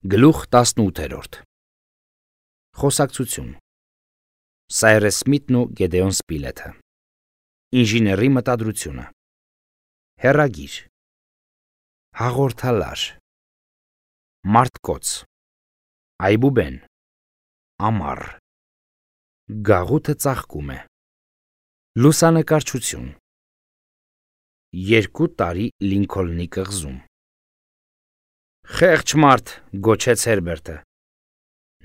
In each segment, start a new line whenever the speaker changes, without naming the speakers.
Գլուխ 18 Խոսակցություն Սայրես Սմիթն ու Գեդեոն Սպիլեթը Ինժեների մտադրությունը Հեռագիր Հաղորդալար Մարդկոց Այբուբեն Ամառ Գաղութը ծաղկում է Լուսանկարչություն 2 տարի Լինքոլնի կղզում Խեղճ մարդ, գոչեց Հերբերտը։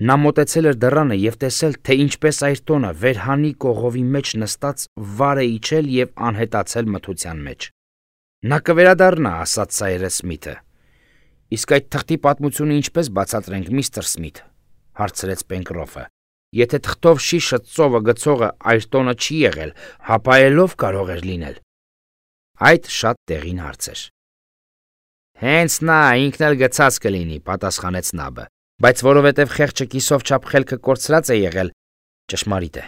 Նա մոտեցել էր դռանը և տեսել, թե ինչպես Այրտոնը վերհանի կողովի մեջ նստած վար է իջել և անհետացել մթության մեջ։ Նա կվերադառնա, ասաց Սայրես Սմիթը։ Իսկ այդ թղթի պատմությունը ինչպես բացատրենք, միստր Սմիթ, հարցրեց Պենկրոֆը։ Եթե թղթով շիշը ծովը գցողը Այրտոնը չի եղել, հապա ելով կարող էր լինել։ Այդ շատ տեղին հարց էր։ Հենց նա ինքն էլ գցած կլինի, պատասխանեց Նաբը, բայց որովհետև խեղճը կիսով չափ խելքը կորցրած է եղել, ճշմարիտ է,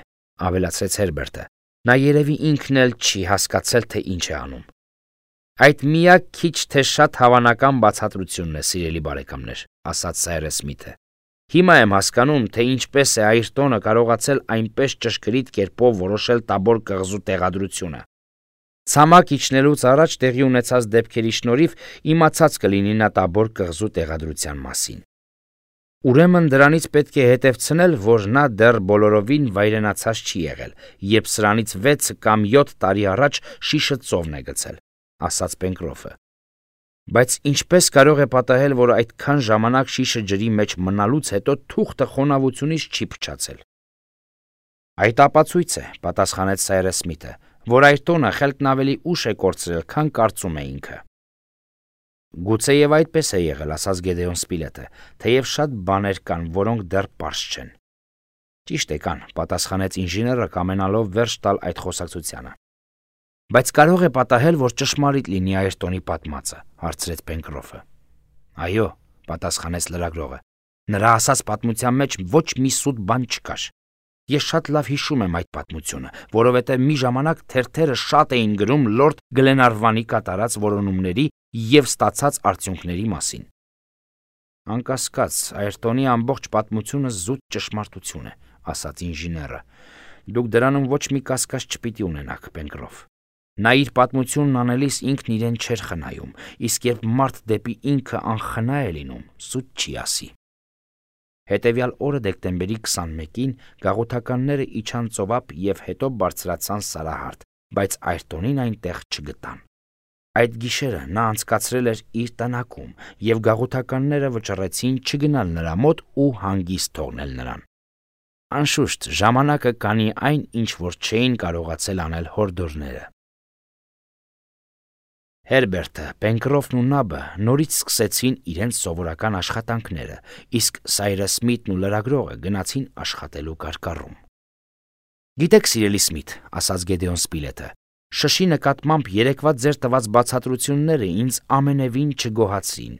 ավելացրեց Հերբերտը։ Նա երևի ինքն էլ չի հասկացել, թե ինչ է անում։ Այդ միակ քիչ թե շատ հավանական բացատրությունն է, սիրելի բարեկամներ, ասաց Սայրես Սմիթը։ Հիմա եմ հասկանում, թե ինչպես է Այրտոնը կարողացել այնպես ճշգրիտ կերպով որոշել Տաբոր կղզու տեղադրությունը։ Ցամաք իջնելուց առաջ տեղի ունեցած դեպքերի շնորհիվ իմացած կլինի նա Տաբոր կղզու տեղադրության մասին։ Ուրեմն դրանից պետք է հետևցնել, որ նա դեռ բոլորովին վայրենացած չի եղել, երբ սրանից 6 կամ 7 տարի առաջ շիշը ծովն է գցել, ասաց Պենկրոֆը։ Բայց ինչպես կարող է պատահել, որ այդքան ժամանակ շիշը ջրի մեջ մնալուց հետո թուղթը խոնավությունից չի փչացել։ Այդ ապացույց է, պատասխանեց Սայրես Սմիթը, որ Այրտոնը խելքն ավելի ուշ է կորցրել, քան կարծում է ինքը։ Գուցեև այդպես է եղել, ասաց Գեդեոն Սպիլեթը, թեև շատ բաներ կան, որոնք դեռ պարզ չեն։ Ճիշտ է կան, պատասխանեց ինժեները կամենալով վերջ տալ այդ խոսակցությանը։ Բայց կարող է պատահել, որ ճշմարիտ լինի Այրտոնի պատմածը, հարցրեց Պենկրոֆը։ Այո, պատասխանեց լրագրողը։ Նրա ասած պատմության մեջ ոչ մի սուտ բան չկար։ Ես շատ լավ հիշում եմ այդ պատմությունը, որովհետև մի ժամանակ թերթերը շատ էին գրում լորդ Գլենարվանի կատարած որոնումների և ստացած արդյունքների մասին։ Անկասկած, Այրտոնի ամբողջ պատմությունը զուտ ճշմարտություն է, ասաց ինժեները։ Դուք դրանում ոչ մի կասկած չպիտի ունենաք, Պենկրոֆ։ Նա իր պատմությունն անելիս ինքն իրեն չէր խնայում, իսկ երբ մարդ դեպի ինքը անխնա է լինում, սուտ չի ասի։ Հետևյալ օրը դեկտեմբերի 21-ին գաղութականները իջան ծովափ և հետո բարձրացան Սարահարթ, բայց Այրտոնին այնտեղ չգտան։ Այդ գիշերը նա անցկացրել էր իր տնակում, և գաղութականները վճռեցին չգնալ նրա մոտ ու հանգիստ թողնել նրան։ Անշուշտ, ժամանակը կանի այն, ինչ որ չէին կարողացել անել հորդորները։ Հերբերտը, Պենկրոֆն ու Նաբը նորից սկսեցին իրենց սովորական աշխատանքները, իսկ Սայրես Սմիթն ու լրագրողը գնացին աշխատելու կարկառում։ Գիտեք, սիրելի Սմիթ, ասաց Գեդեոն Սպիլեթը, շշի նկատմամբ երեկվա ձեր տված բացատրությունները ինձ ամենևին չգոհացրին։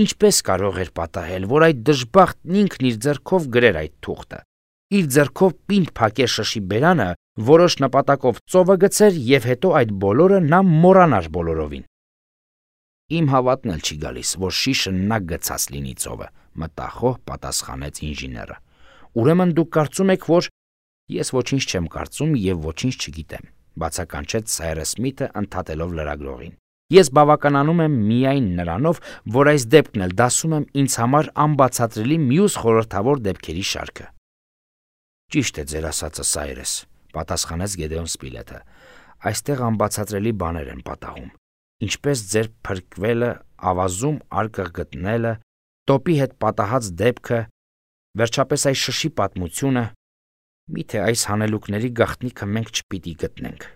Ինչպես կարող էր պատահել, որ այդ դժբախտն ինքն իր ձեռքով գրեր այդ թուղթը։ Իր ձեռքով պինդ փակեր շշի բերանը, որոշ նպատակով ծովը գցեր և հետո այդ բոլորը նա մոռանար բոլորովին։ Իմ հավատն էլ չի գալիս, որ շիշը նա գցած լինի ծովը, մտախոհ պատասխանեց ինժեները։ Ուրեմն դուք կարծում եք, որ ես ոչինչ չեմ կարծում և ոչինչ չգիտեմ, բացականչեց Սայրես Սմիթը ընդհատելով լրագրողին։ Ես բավականանում եմ միայն նրանով, որ այս դեպքն էլ դասում եմ ինձ համար անբացատրելի մյուս խորհրդավոր դեպքերի շարքը։ Ճիշտ է ձեր ասածը, Սայրես, պատասխանեց Գեդեոն Սպիլեթը։ Այստեղ անբացատրելի բաներ են պատահում, ինչպես ձեր փրկվելը, ավազում արկղ գտնելը, տոպի հետ պատահած դեպքը, վերջապես այս շշի պատմությունը, միթե այս հանելուկների գաղտնիքը մենք չպիտի գտնենք։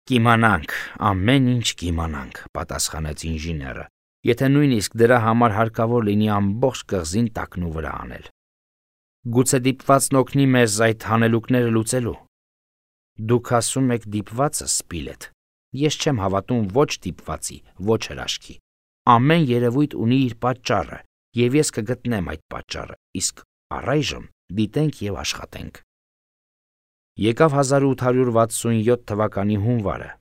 Կիմանանք, ամեն ինչ կիմանանք, պատասխանեց ինժեները, եթե նույնիսկ դրա համար հարկավոր լինի ամբողջ կղզին տակնու վրա անել։ Գուցե դիպվածն օգնի մեզ այդ հանելուկները լուծելու։ Դուք ասում եք դիպվածը, Սպիլեթ։ Ես չեմ հավատում ոչ դիպվածի, ոչ հրաշքի։ Ամեն երևույթ ունի իր պատճառը, և ես կգտնեմ այդ պատճառը, իսկ առայժմ դիտենք և աշխատենք։ Եկավ 1867 թվականի հունվարը։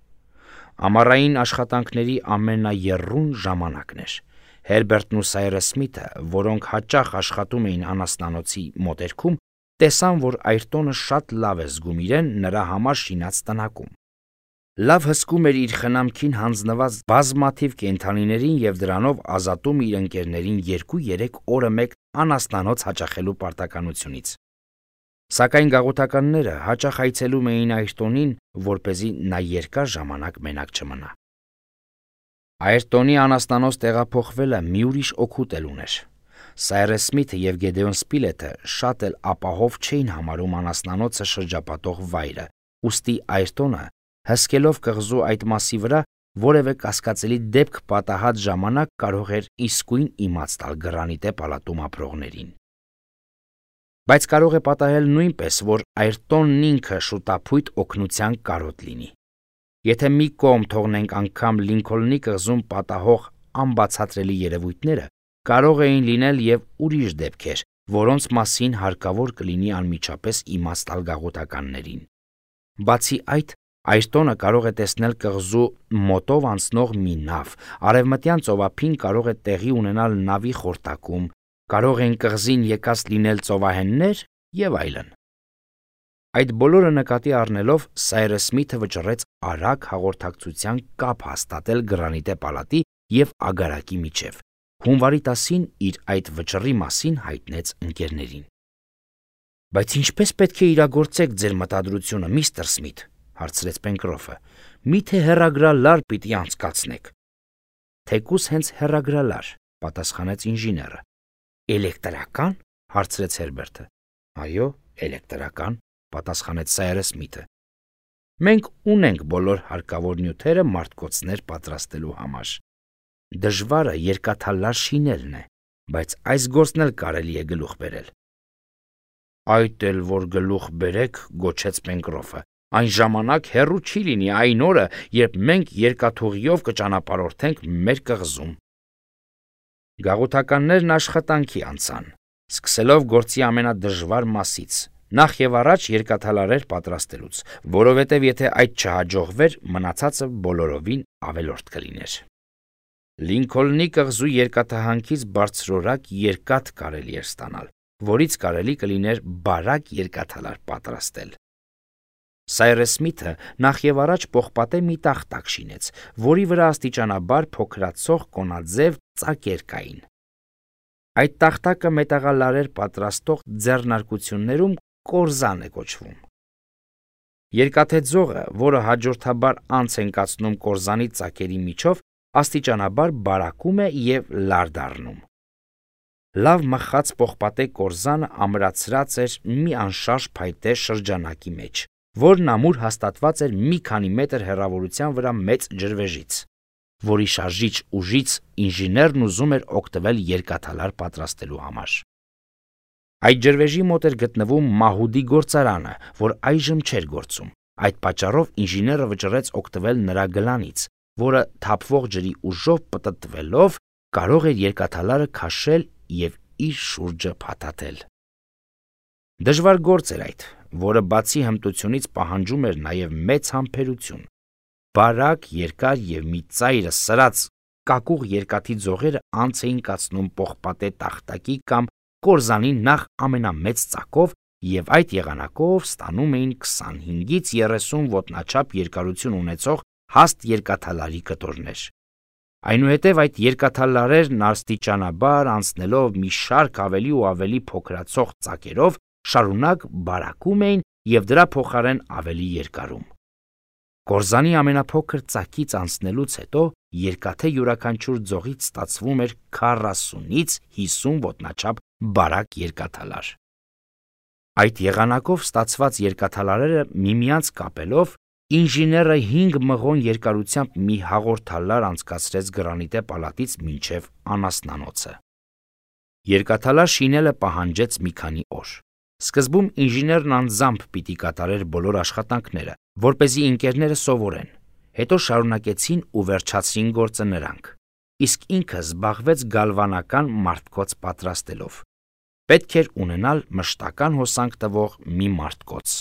Ամառային աշխատանքների ամենաեռուն ժամանակն էր։ Հերբերտն ու Սայրս Սմիթը, որոնք հաճախ աշխատում էին անասնանոցի մոտերքում, տեսան, որ Այրտոնը շատ լավ է զգում իրեն նրա համար շինած տնակում։ Լավ հսկում էր իր խնամքին հանձնված բազմաթիվ կենդանիներին և դրանով ազատում իր ընկերներին 2-3 օրը մեկ անասնանոց հաճախելու պարտականությունից։ Սակայն գաղութականները հաճախ այցելում էին Այրտոնին, որպեսզի նա երկար ժամանակ մենակ չմնա։ Այրտոնի անասնանոց տեղափոխվելը մի ուրիշ օգուտ էլ ուներ։ Սայրս Սմիթը և Գեդեոն Սպիլետը շատ էլ ապահով չէին համարում անասնանոցը շրջապատող վայրը, ուստի Այրտոնը, հսկելով կղզու այդ մասի վրա, որևէ կասկածելի դեպք պատահած ժամանակ կարող էր իսկույն իմաց տալ Գրանիտե պալատում ապրողներին։ Բայց կարող է պատահել նույնպես, որ Այրտոնն ինքը շուտափույթ օգնության կարոտ լինի։ Եթե մի կողմ թողնենք անգամ Լինքոլնի կղզում պատահող անբացատրելի երևույթները, կարող էին լինել և ուրիշ դեպքեր, որոնց մասին հարկավոր կլինի անմիջապես իմաց տալ գաղութականներին։ Բացի այդ, Այրտոնը կարող է տեսնել կղզու մոտով անցնող մի նավ, արևմտյան ծովափին կարող է տեղի ունենալ նավի խորտակում, կարող են կղզին եկած լինել ծովահեններ և այլն։ Այդ բոլորը նկատի առնելով Սայրս Սմիթը վճռեց արագ հաղորդակցության կապ հաստատել Գրանիտե պալատի և ագարակի միջև։ Հունվարի 10-ին իր այդ վճռի մասին հայտնեց ընկերներին։ «Բայց ինչպես պետք է իրագործեք ձեր մտադրությունը, միստր Սմիթ», հարցրեց Պենկրոֆը։ «Միթե հեռագրալար պիտի անցկացնեք»։ «Թեկուզ հենց հեռագրալար», պատասխանեց ինժեները։ «Էլեկտրական», հարցրեց Հերբերտը։ «Այո, էլեկտրական», պատասխանեց Սայրս Սմիթը։ «Մենք ունենք բոլոր հարկավոր նյութերը մարտկոցներ պատրաստելու համար։ Դժվարը երկաթալար շինելն է, բայց այս գործն էլ կարելի է գլուխ բերել»։ «Այդ էլ որ գլուխ բերեք», գոչեց Պենկրոֆը, «այն ժամանակ հեռու չի լինի այն օրը, երբ մենք երկաթուղիով կճանապարհորդենք մեր կղզում»։ Գաղութականներն աշխատանքի անցան, սկսելով գործի ամենադժվար մասից, նախ և առաջ երկաթալարեր պատրաստելուց, որովհետև եթե այդ չհաջողվեր, մնացածը բոլորովին ավելորդ կլիներ։ Լինքոլնի կղզու երկաթահանքից բարձրորակ երկաթ կարելի էր ստանալ, որից կարելի կլիներ բարակ երկաթալար պատրաստել։ Սայրս Սմիթը նախ և առաջ պողպատե մի տախտակ շինեց, որի վրա աստիճանաբար փոքրացող կոնաձև ծակեր կային։ Այդ տախտակը մետաղալարեր պատրաստող ձեռնարկություններում կորզան է կոչվում։ Երկաթե ձողը, որը հաջորդաբար անց են կացնում կորզանի ծակերի միջով, աստիճանաբար բարակում է և լար դառնում։ Լավ մխած պողպատե կորզանը ամրացրած էր մի անշարժ փայտե շրջանակի մեջ, որն ամուր հաստատված էր մի քանի մետր հեռավորության վրա մեծ ջրվեժից, որի շարժիչ ուժից ինժեներն ուզում էր օգտվել երկաթալար պատրաստելու համար։ Այդ ջրվեժի մոտ էր գտնվում մահուդի գործարանը, որ այժմ չէր գործում։ Այդ պատճառով ինժեները վճռեց օգտվել նրա գլանից, որը թափվող ջրի ուժով պտտվելով կարող էր երկաթալարը քաշել և իր շուրջը փաթաթել։ Դժվար գործ էր այդ, որը բացի հմտությունից պահանջում էր նաև մեծ համբերություն։ Բարակ, երկար և մի ծայրը սրած կակուղ երկաթի ձողերը անց էին կացնում պողպատե տախտակի կամ կորզանի նախ ամենամեծ ծակով և այդ եղանակով ստանում էին 25-ից 30 ոտնաչափ երկարություն ունեցող հաստ երկաթալարի կտորներ։ Այնուհետև այդ երկաթալարերն աստիճանաբար անցնելով մի շարք ավելի ու ավելի փոքրացող ծակերով շարունակ բարակում էին և դրա փոխարեն ավելի երկարում։ Կորզանի ամենափոքր ծակից անցնելուց հետո երկաթե յուրաքանչյուր ձողից ստացվում էր 40-ից 50 ոտնաչափ բարակ երկաթալար։ Այդ եղանակով ստացված երկաթալարերը միմյանց կապելով ինժեները 5 մղոն երկարությամբ մի հաղորդալար անցկացրեց Գրանիտե պալատից մինչև անասնանոցը։ Երկաթալար շինելը պահանջեց մի քանի օր։ Սկզբում ինժեներն անձամբ պիտի կատարեր բոլոր աշխատանքները, որպեսզի ընկերները սովորեն, հետո շարունակեցին ու վերջացրին գործը նրանք, իսկ ինքը զբաղվեց գալվանական մարտկոց պատրաստելով։ Պետք էր ունենալ մշտական հոսանք տվող մի մարտկոց։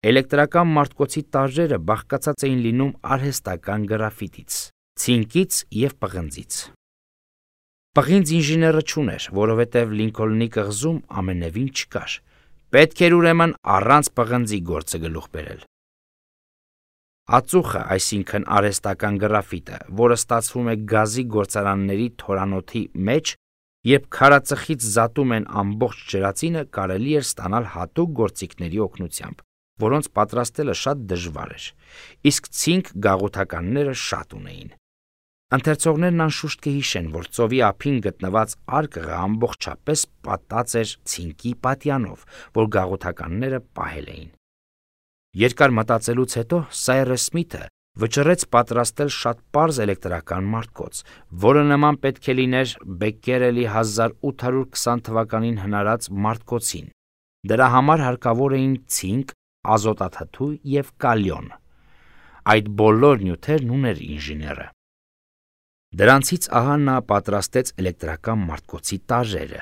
Էլեկտրական մարտկոցի տարրերը բաղկացած էին լինում արհեստական գրաֆիտից, ցինկից և պղնձից։ Պղինձ ինժեները չուներ, որովհետև Լինքոլնի կղզում ամենևին չկար։ Պետք էր ուրեմն առանց պղնձի գործը գլուխ բերել։ Ածուխը, այսինքն արհեստական գրաֆիտը, որը ստացվում է գազի գործարանների թորանոթի մեջ, երբ քարածխից զատում են ամբողջ ջրածինը, կարելի էր ստանալ հատուկ գործիքների օգնությամբ, որոնց պատրաստելը շատ դժվար էր, իսկ ցինկ գաղութականները շատ ունեին։ Ընթերցողներն անշուշտ կհիշեն, որ ծովի ափին գտնված արկղը ամբողջապես պատած էր ցինկի պատյանով, որ գաղութականները պահել էին։ Երկար մտածելուց հետո Սայրս Սմիթը վճռեց պատրաստել շատ պարզ էլեկտրական մարտկոց, որը նման պետք է լիներ Բեկկերելի 1820 թվականին հնարած մարտկոցին։ Դրա համար հարկավոր էին ցինկ, ազոտաթթու և կալիոն։ Այդ բոլոր նյութերն ուներ ինժեները։ Դրանցից ահա նա պատրաստեց էլեկտրական մարտկոցի տարրերը,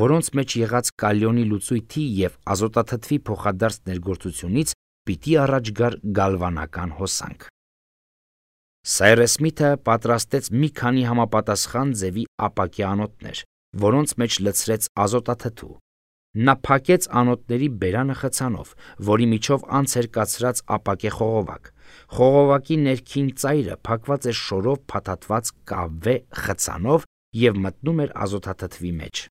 որոնց մեջ եղած կալիոնի լուծույթի և ազոտաթթվի փոխադարձ ներգործությունից պիտի առաջ գար գալվանական հոսանք։ Սայրս Սմիթը պատրաստեց մի քանի համապատասխան ձևի ապակե անոթներ, որոնց մեջ լցրեց ազոտաթթու։ Նա փակեց անոթների բերանը խցանով, որի միջով անց էր կացրած ապակե խողովակ։ Խողովակի ներքին ծայրը փակված էր շորով փաթաթված կավե խցանով և մտնում էր ազոտաթթվի մեջ։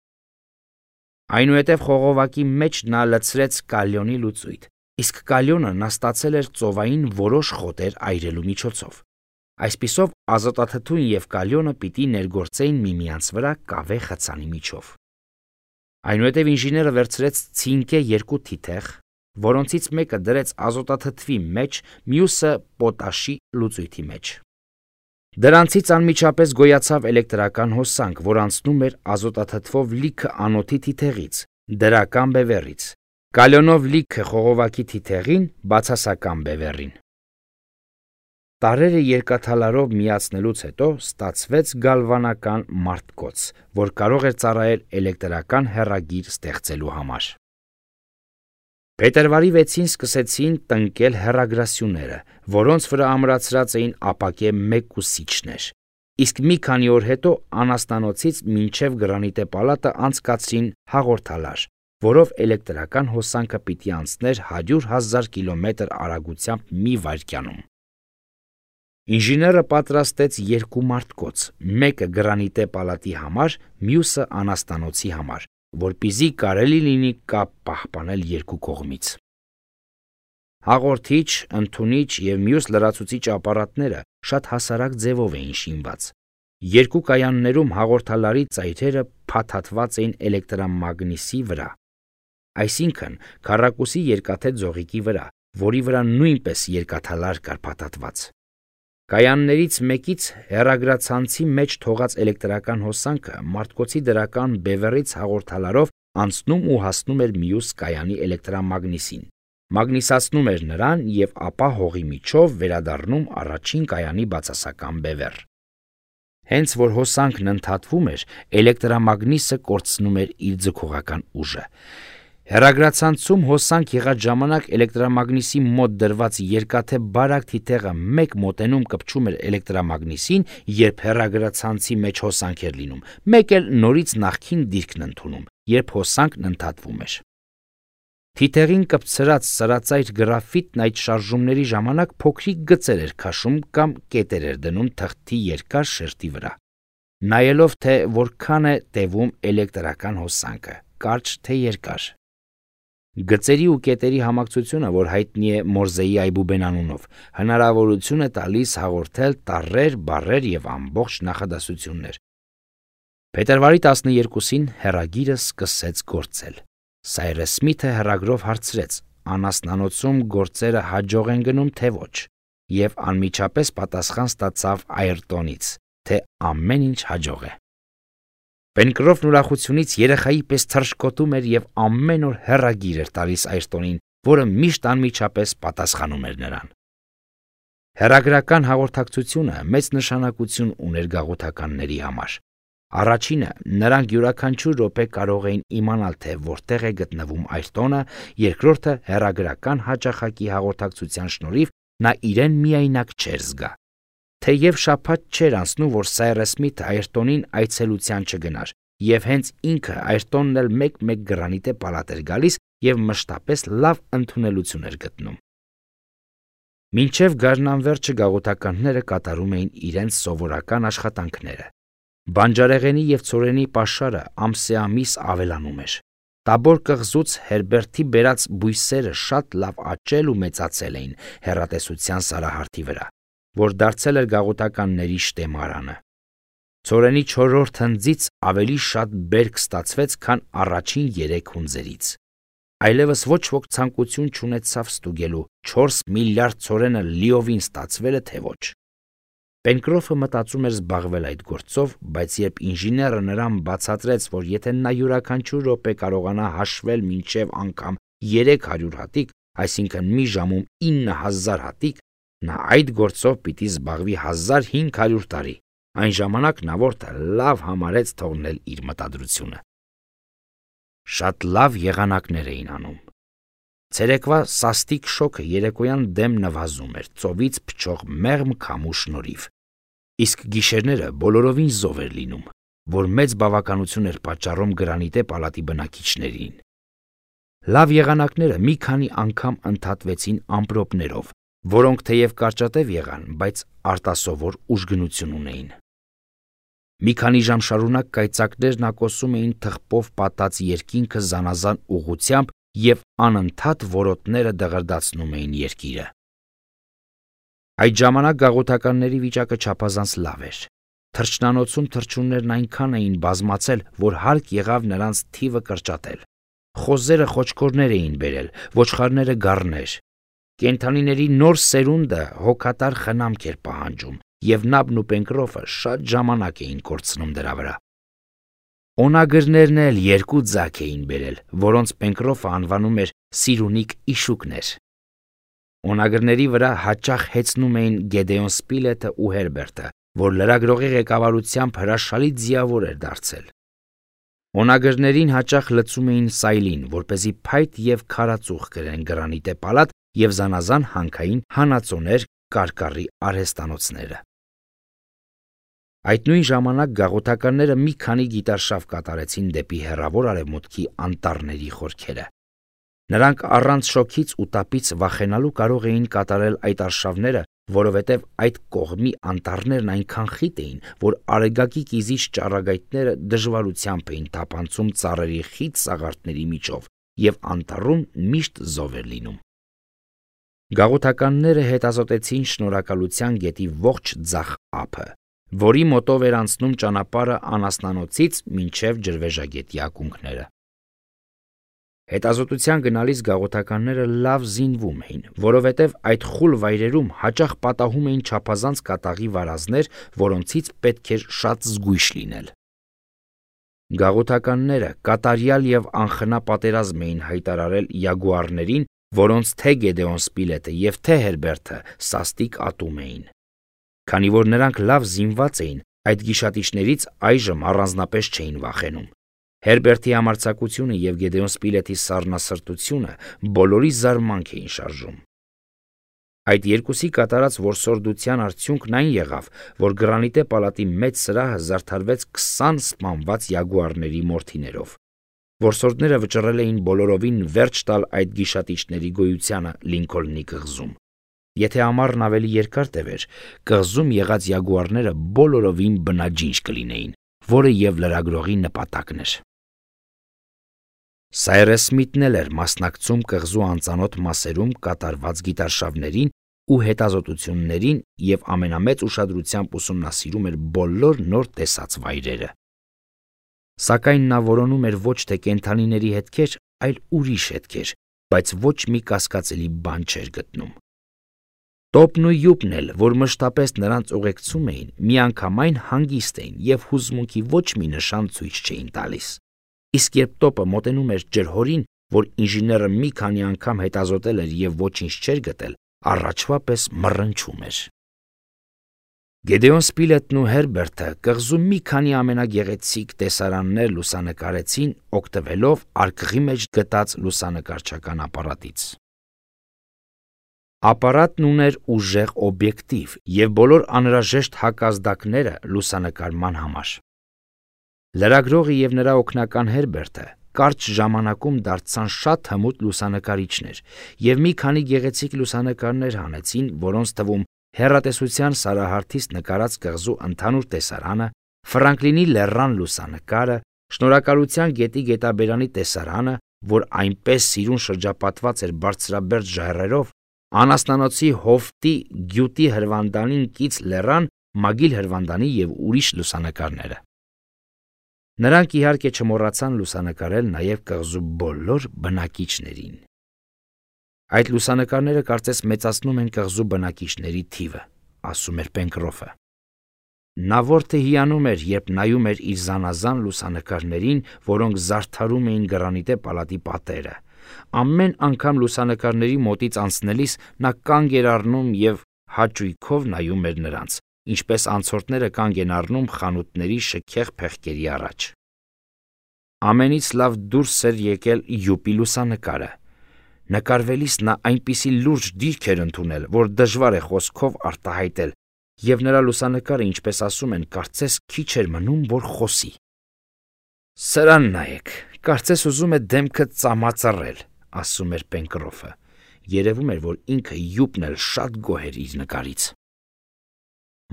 Այնուհետև խողովակի մեջ նա լցրեց կալիոնի լուծույթ, իսկ կալիոնը նա ստացել էր ծովային որոշ խոտեր այրելու միջոցով։ Այսպիսով ազոտաթթուն և կալիոնը պիտի ներգործեին միմյանց վրա կավե խցանի միջով։ Այնուհետև ինժեները վերցրեց ցինկե երկու թիթեղ, որոնցից մեկը դրեց ազոտաթթվի մեջ, մյուսը պոտաշի լուծույթի մեջ։ Դրանցից անմիջապես գոյացավ էլեկտրական հոսանք, որ անցնում էր ազոտաթթվով լիքը անոթի թիթեղից, դրական բևեռից, կալիոնով լիքը խողովակի թիթեղին, բացասական բևեռին։ Տարրերը երկաթալարով միացնելուց հետո ստացվեց գալվանական մարտկոց, որ կարող էր ծառայել էլեկտրական հեռագիր ստեղծելու համար։ Փետրվարի 6-ին սկսեցին տնկել հեռագրասյուները, որոնց վրա ամրացրած էին ապակե մեկուսիչներ, իսկ մի քանի օր հետո անասնանոցից մինչև Գրանիտե պալատը անցկացրին հաղորդալար, որով էլեկտրական հոսանքը պիտի անցներ 100,000 կիլոմետր արագությամբ մի վայրկյանում։ Ինժեները պատրաստեց երկու մարտկոց, մեկը Գրանիտե պալատի համար, մյուսը անասնանոցի համար, որպեսզի կարելի լինի կապ պահպանել երկու կողմից։ Հաղորդիչ, ընդունիչ և մյուս լրացուցիչ ապարատները շատ հասարակ ձևով էին շինված։ Երկու կայաններում հաղորդալարի ծայրերը փաթաթված էին էլեկտրամագնիսի վրա, այսինքն քառակուսի երկաթե ձողիկի վրա, որի վրա նույնպես երկաթալար կար փաթաթված։ Կայաններից մեկից հեռագրացանցի մեջ թողած էլեկտրական հոսանքը մարտկոցի դրական բևեռից հաղորդալարով անցնում ու հասնում էր մյուս կայանի էլեկտրամագնիսին, մագնիսացնում էր նրան և ապա հողի միջով վերադառնում առաջին կայանի բացասական բևեռ։ Հենց որ հոսանքն ընդհատվում էր, էլեկտրամագնիսը կորցնում էր իր ձգողական ուժը։ Հեռագրացանցում հոսանք եղած ժամանակ էլեկտրամագնիսի մոտ դրված երկաթե բարակ թիթեղը մեկ մոտենում կպչում էր էլեկտրամագնիսին, երբ հեռագրացանցի մեջ հոսանք էր լինում, մեկ էլ նորից նախքին դիրքն ընդունում, երբ հոսանքն ընդհատվում էր։ Թիթեղին կպցրած սրածայր գրաֆիտն այդ շարժումների ժամանակ փոքրիկ գծեր էր քաշում կամ կետեր էր դնում թղթի երկար շերտի վրա, նայելով թե որքան է տևում էլեկտրական հոսանքը, կարճ թե երկար։ Գծերի ու կետերի համակցությունը, որ հայտնի է Մորզեի այբուբեն անունով, հնարավորություն է տալիս հաղորդել տառեր, բառեր և ամբողջ նախադասություններ։ Փետրվարի 12-ին հեռագիրը սկսեց գործել։ Սայրս Սմիթը հեռագրով հարցրեց, անասնանոցում գործերը հաջող են գնում, թե ոչ, և անմիջապես պատասխան ստացավ Այրտոնից, թե ամեն ինչ հաջող է։ Պենկրոֆն ուրախությունից երեխայի պես թռչկոտում էր և ամեն օր հեռագիր էր տալիս Այրտոնին, որը միշտ անմիջապես պատասխանում էր նրան։ Հեռագրական հաղորդակցությունը մեծ նշանակություն ուներ գաղութականների համար։ Առաջինը, նրանք յուրաքանչյուր րոպե կարող էին իմանալ, թե որտեղ է գտնվում Այրտոնը, երկրորդը, հեռագրական հաճախակի հաղորդակցության շնորհիվ նա իրեն միայնակ չէր զգա։ թեև շաբաթ չէր անցնում, որ Սայրս Սմիթը Այրտոնին այցելության չգնար, եւ հենց ինքը Այրտոնն էլ մեկ-մեկ գրանիտե պալատ էր գալիս եւ մշտապես լավ ընդունելություն էր գտնում։ Մինչև գարնանվերջը գաղութականները կատարում էին իրենց սովորական աշխատանքները։ Բանջարեղենի եւ ցորենի պաշարը ամսեամիս ավելանում էր։ Տաբոր կղզուց Հերբերտի բերած բույսերը շատ լավ աճել ու մեծացել էին հեռատեսության սարահարթի վրա, որ դարձել էր գաղութականների շտեմարանը։ Ցորենի 4-րդ հնձից ավելի շատ բերք ստացվեց, քան առաջին 3 հունձերից։ Այլևս ոչ ոք ցանկություն չունեցավ ստուգելու 4 միլիարդ ցորենը լիովին ստացվել է թե ոչ։ Պենկրոֆը մտածում էր զբաղվել այդ գործով, բայց երբ ինժեները նրան բացատրեց, որ եթե նա յուրաքանչյուր րոպե կարողանա հաշվել մինչև անգամ 300 հատիկ, այսինքն մի ժամում 9000 հատիկ, նա այդ գործով պիտի զբաղվի 1500 տարի։ Այն ժամանակ նա որտը լավ համարեց թողնել իր մտադրությունը։ Շատ լավ եղանակներ էին անում։ Ցերեկվա սաստիկ շոգը երեկոյան դեմ նվազում էր ծովից փչող մեղմ քամու շնորհիվ, իսկ գիշերները բոլորովին զով էր լինում, որ մեծ բավականություն էր պատճառում գրանիտե պալատի բնակիչներին։ Լավ եղանակները մի քանի անգամ ընդհատվեցին ամպրոպներով, որոնք թեև կարճատև եղան, բայց արտասովոր ուժգնություն ունեին։ Մի քանի ժամ շարունակ կայծակներն ակոսում էին թխպով պատած երկինքը զանազան ուղղությամբ եւ անընդհատ որոտները դղրդացնում էին երկիրը։ Այդ ժամանակ գաղութականների վիճակը չափազանց լավ էր։ Թռչնանոցում թռչուններն այնքան էին բազմացել, որ հարկ եղավ նրանց թիվը կրճատել։ Խոզերը խոչկորներ էին բերել, ոչխարները գառներ։ Կենդանիների նոր սերունդը հոգատար խնամք էր պահանջում, եւ Նաբն ու Պենկրոֆը շատ ժամանակ էին կորցնում դրա վրա։ Օնագրներն էլ 2 ձակ էին բերել, որոնց Պենկրոֆը անվանում էր Սիրունիկ իշուկներ։ Օնագրների վրա հաճախ հեծնում էին Գեդեոն Սպիլետը ու Հերբերտը, որ լրագրողի ղեկավարությամբ հրաշալի ձիավոր էր դարձել։ Օնագրներին հաճախ լցում էին սայլին, որպեսզի փայտ եւ քարածուխ գրեն գրանիտե պալատ եւ զանազան հանքային հանածոներ կարկառի արհեստանոցները։ Այդ նույն ժամանակ գաղութականները մի քանի գիտարշավ կատարեցին դեպի հեռավոր արևմուտքի անտառների խորքերը։ Նրանք առանց շոքից ու տապից վախենալու կարող էին կատարել այդ արշավները, որովհետև այդ կողմի անտառներն այնքան խիտ էին, որ արեգակի կիզիչ ճառագայթները դժվարությամբ էին թափանցում ծառերի խիտ սաղարթների միջով, եւ անտառում միշտ զով էր լինում։ Գաղութականները հետազոտեցին Շնորհակալության գետի ողջ ձախ ափը, որի մոտով էր անցնում ճանապարհը Անասնանոցից մինչև Ջրվեժագետի ակունքները։ Հետազոտության գնալիս գաղութականները լավ զինվում էին, որովհետև այդ խուլ վայրերում հաճախ պատահում էին չափազանց կատաղի վարազներ, որոնցից պետք էր շատ զգույշ լինել։ Գաղութականները կատարյալ եւ անխնա պատերազմ էին հայտարարել յագուարներին, որոնց թե Գեդեոն Սպիլետը եւ թե Հերբերտը սաստիկ ատում էին։ Քանի որ նրանք լավ զինված էին, այդ գիշատիչներից այժմ առանձնապես չէին վախենում։ Հերբերտի համարձակությունը եւ Գեդեոն Սպիլետի սառնասրտությունը բոլորի զարմանք էին շարժում։ Այդ երկուսի կատարած որսորդության արդյունքն այն եղավ, որ գրանիտե պալատի մեծ սրահը զարդարվեց 20 սպանված յագուարների մորթիներով։ Որսորդները վճռել էին բոլորովին վերջ տալ այդ գիշատիչների գոյությանը Լինքոլնի կղզում։ Եթե ամառն ավելի երկար տևեր, կղզում եղած յագուարները բոլորովին բնաջինջ կլինեին, որը եւ լրագրողի նպատակն էր։ Սայրս Սմիթն էլ էր մասնակցում կղզու անծանոթ մասերում կատարված գիտարշավներին ու հետազոտություններին եւ ամենամեծ ուշադրությամբ ուսումնասիրում էր բոլոր նոր տեսած վայրերը։ Սակայն նա որոնում էր ոչ թե կենդանիների հետքեր, այլ ուրիշ հետքեր, բայց ոչ մի կասկածելի բան չէր գտնում։ Տոպն ու յուպն էլ, որ մշտապես նրանց ուղեկցում էին, միանգամայն հանգիստ էին եւ հուզմունքի ոչ մի նշան ցույց չէին տալիս։ Իսկ երբ տոպը մոտենում էր ջրհորին, որ ինժեները մի քանի անգամ հետազոտել էր եւ ոչինչ չէր գտել, առաջվա պես մռնչում էր։ Գեդեոն Սպիլետն ու Հերբերտը կղզում մի քանի ամենագեղեցիկ տեսարաններ լուսանկարեցին, օգտվելով արկղի մեջ գտած լուսանկարչական ապարատից։ Ապարատն ուներ ուժեղ օբյեկտիվ և բոլոր անհրաժեշտ հակազդակները լուսանկարման համար։ Լրագրողը և նրա օգնական Հերբերտը կարճ ժամանակում դարձան շատ հմուտ լուսանկարիչներ և մի քանի գեղեցիկ լուսանկարներ հանեցին, որոնց թվում հեռատեսության սարահարթից նկարած կղզու ընդհանուր տեսարանը, Ֆրանկլինի լեռան լուսանկարը, Շնորհակալության գետի գետաբերանի տեսարանը, որ այնպես սիրուն շրջապատված էր բարձրաբերդ ժայռերով, Անասնանոցի հովտի գյուտի հրվանդանին կից լեռան, Մագիլ հրվանդանի և ուրիշ լուսանկարները։ Նրանք իհարկե չմոռացան լուսանկարել նաև կղզու բոլոր բնակիչներին։ Այդ լուսանկարները կարծես մեծացնում են կղզու բնակիչների թիվը, ասում էր Պենկրոֆը։ Նա որդը հիանում էր, երբ նայում էր իր զանազան լուսանկարներին, որոնք զարդարում էին գրանիտե պալատի պատերը։ Ամեն անգամ լուսանկարների մոտից անցնելիս նա կանգ էր առնում և հաճույքով նայում էր նրանց, ինչպես անցորդները կանգ են առնում խանութների շքեղ փեղկերի առաջ։ Ամենից լավ դուրս էր եկել յուպի լուսանկարը։ Նկարվելիս նա այնպիսի լուրջ դիրք էր ընդունել, որ դժվար է խոսքով արտահայտել, և նրա լուսանկարը, ինչպես ասում են, կարծես քիչ էր մնում, որ խոսի։ «Սրան նայեք, կարծես ուզում է դեմքը ծամածռել», ասում էր Պենկրոֆը։ Երևում էր, որ ինքը յուպն էլ շատ գոհ էր իր նկարից։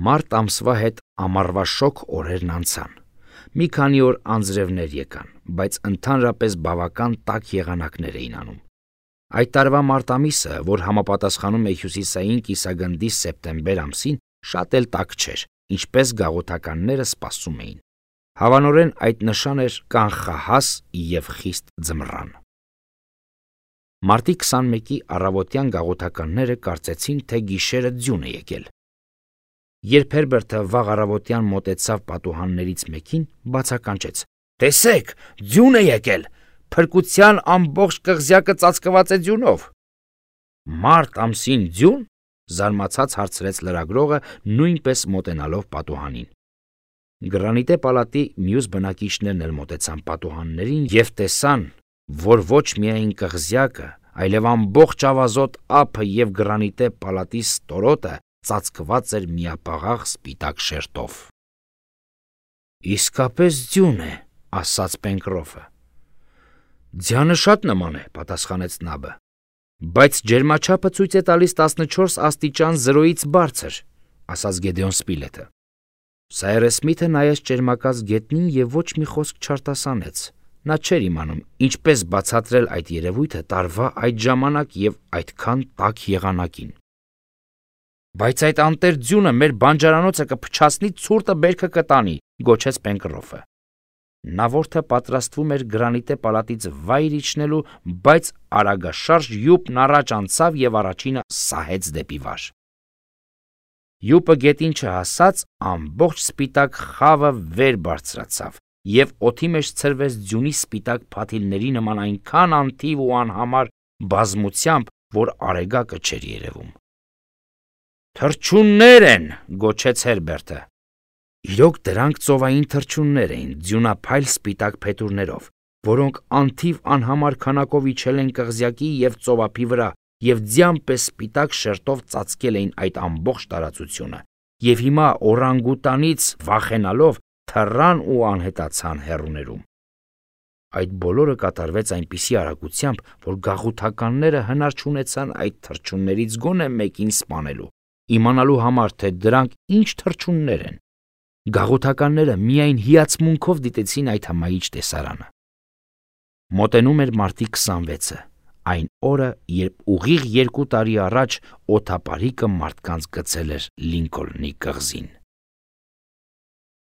Մարտ ամսվա հետ ամառվա շոգ օրերն անցան։ Մի քանի օր անձրևներ եկան, բայց ընդհանրապես բավական տաք եղանակներ էին անում։ Այդ տարվա մարտ ամիսը, որ համապատասխանում է հյուսիսային կիսագնդի սեպտեմբեր ամսին, շատ էլ տաք չէր, ինչպես գաղութականները սպասում էին։ Հավանորեն այդ նշան էր կանխահաս և խիստ ձմռան։ Մարտի 21-ի առավոտյան գաղութականները կարծեցին, թե գիշերը ձյուն է եկել։ Երբ Հերբերտը վաղ առավոտյան մոտեցավ պատուհաններից մեկին, բացականչեց. «Տեսեք, ձյուն է եկել, փրկության ամբողջ կղզյակը ծածկված է ձյունով»։ «Մարտ ամսին ձյուն», զարմացած հարցրեց լրագրողը, նույնպես մոտենալով պատուհանին։ Գրանիտե պալատի մյուս բնակիչներն էլ մոտեցան պատուհաններին և տեսան, որ ոչ միայն կղզյակը, այլև ամբողջ ավազոտ ափը և գրանիտե պալատի ստորոտը ծածկված էր միապաղաղ սպիտակ շերտով։ «Իսկապես ձյուն է», ասաց Պենկրոֆը։ «Ձյանը շատ նման է», պատասխանեց Նաբը, «բայց ջերմաչափը ցույց է տալիս 14 աստիճան 0-ից բարձր», ասաց Գեդեոն Սպիլեթը։ Սայրես Սմիթը նայեց ճերմակած գետնին և ոչ մի խոսք չարտասանեց։ Նա չէր իմանում ինչպես բացատրել այդ երևույթը տարվա այդ ժամանակ և այդքան տաք եղանակին։ «Բայց այդ անտեր ձյունը մեր բանջարանոցը կփչացնի, ցուրտը բերքը կտանի», գոչեց Պենկրոֆը։ Նա որդը պատրաստվում էր գրանիտե պալատից վայր իջնելու, բայց արագաշարժ յուպն առաջ անցավ և առաջինը սահեց դեպի վար։ Յուպը գետին չհասած, ամբողջ սպիտակ խավը վեր բարձրացավ և օդի մեջ ցրվեց ձյունի սպիտակ փաթիլների նման այնքան անթիվ ու անհամար բազմությամբ, որ արեգակը չէր երևում։ «Թռչուններ են», գոչեց Հերբերտը։ Իրոք դրանք ծովային թռչուններ էին, ձյունափայլ սպիտակ փետուրներով, որոնք անթիվ անհամար քանակով իջել են կղզյակի և ծովափի վրա և ձյան պես սպիտակ շերտով ծածկել էին այդ ամբողջ տարածությունը, և հիմա օրանգուտանից վախենալով թռան ու անհետացան հեռուներում։ Այդ բոլորը կատարվեց այնպիսի արագությամբ, որ գաղութականները հնար չունեցան այդ թռչուններից գոնե մեկին սպանելու, իմանալու համար, թե դրանք ինչ թռչուններ են։ Գաղութականները միայն հիացմունքով դիտեցին այդ հմայիչ տեսարանը։ Մոտենում էր մարտի 26-ը, այն օրը, երբ ուղիղ 2 տարի առաջ օդապարիկը մարդկանց գցել էր Լինքոլնի կղզին։